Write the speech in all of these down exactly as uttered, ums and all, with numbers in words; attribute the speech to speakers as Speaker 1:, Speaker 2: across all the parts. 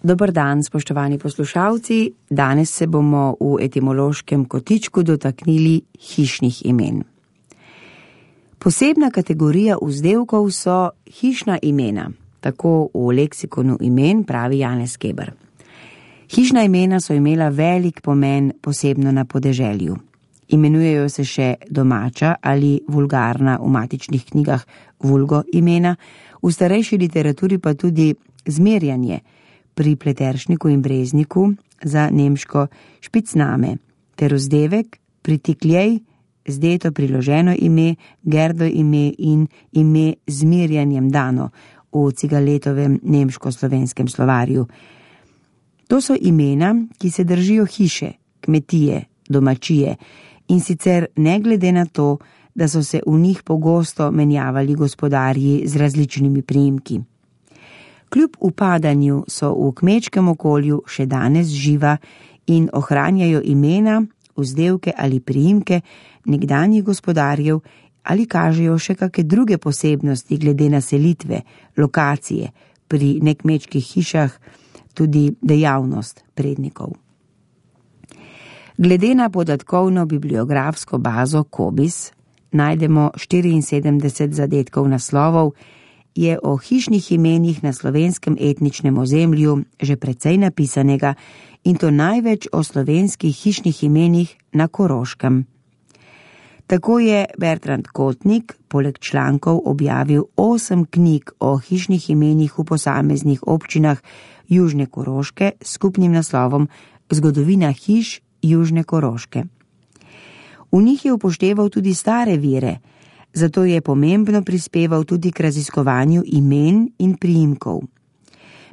Speaker 1: Dober dan, spoštovani poslušalci. Danes se bomo v etimološkem kotičku dotaknili hišnih imen. Posebna kategorija vzdevkov so hišna imena, tako v leksikonu imen pravi Janez Keber. Hišna imena so imela velik pomen, posebno na podeželju. Imenujejo se še domača ali vulgarna v matičnih knjigah vulgo imena, v starejši literaturi pa tudi zmerjanje, pri Pleteršniku in Brezniku za nemško špicname, ter vzdevek pritikljej, zdeto priloženo ime, gerdo ime in ime zmerjanjem dano v Cigaletovem nemško-slovenskem slovarju. To so imena, ki se držijo hiše, kmetije, domačije in sicer ne glede na to, da so se v njih pogosto menjavali gospodarji z različnimi priimki. Kljub upadanju so v kmečkem okolju še danes živa in ohranjajo imena, vzdevke ali priimke nekdanjih gospodarjev ali kažejo še kakšne druge posebnosti glede na selitve, lokacije, pri nekmečkih hišah tudi dejavnost prednikov. Glede na podatkovno bibliografsko bazo Cobiss najdemo štiriinsedemdeset zadetkov naslovov, je o hišnih imenih na slovenskem etničnem ozemlju že precej napisanega in to največ o slovenskih hišnih imenih na Koroškem. Tako je Bertrand Kotnik poleg člankov objavil osem knjig o hišnih imenih v posameznih občinah Južne Koroške s skupnim naslovom Zgodovina hiš Južne Koroške. V njih je upošteval tudi stare vire, zato je pomembno prispeval tudi k raziskovanju imen in priimkov.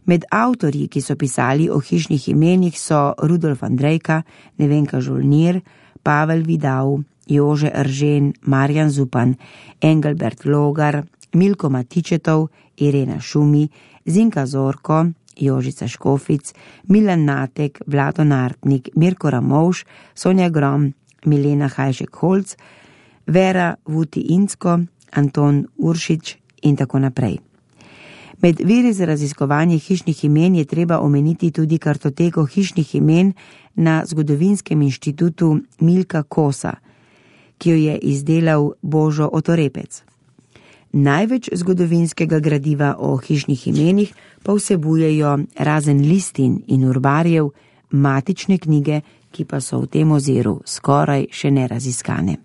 Speaker 1: Med avtorji, ki so pisali o hišnih imenih, so Rudolf Andrejka, Nevenka Žolnir, Pavel Vidal, Jože Eržen, Marjan Zupan, Engelbert Logar, Milko Matičetov, Irena Šumi, Zinka Zorko, Jožica Škofic, Milan Natek, Vlado Nartnik, Mirko Ramovš, Sonja Grom, Milena Hajšek-Holc, Vera Vuti-Incko, Anton Uršič in tako naprej. Med viri za raziskovanje hišnih imen je treba omeniti tudi kartoteko hišnih imen na Zgodovinskem inštitutu Milka Kosa, ki jo je izdelal Božo Otorepec. Največ zgodovinskega gradiva o hišnih imenih pa vsebujejo razen listin in urbarjev matične knjige, ki pa so v tem oziru skoraj še neraziskane.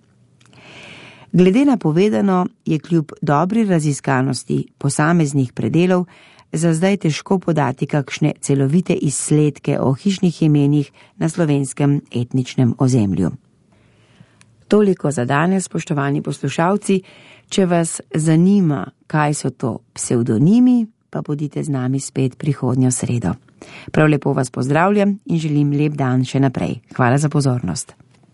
Speaker 1: Glede na povedano je kljub dobri raziskanosti posameznih predelov za zdaj težko podati kakšne celovite izsledke o hišnih imenih na slovenskem etničnem ozemlju. Toliko za danes, spoštovani poslušalci. Če vas zanima, kaj so to psevdonimi, pa bodite z nami spet prihodnjo sredo. Prav lepo vas pozdravljam in želim lep dan še naprej. Hvala za pozornost.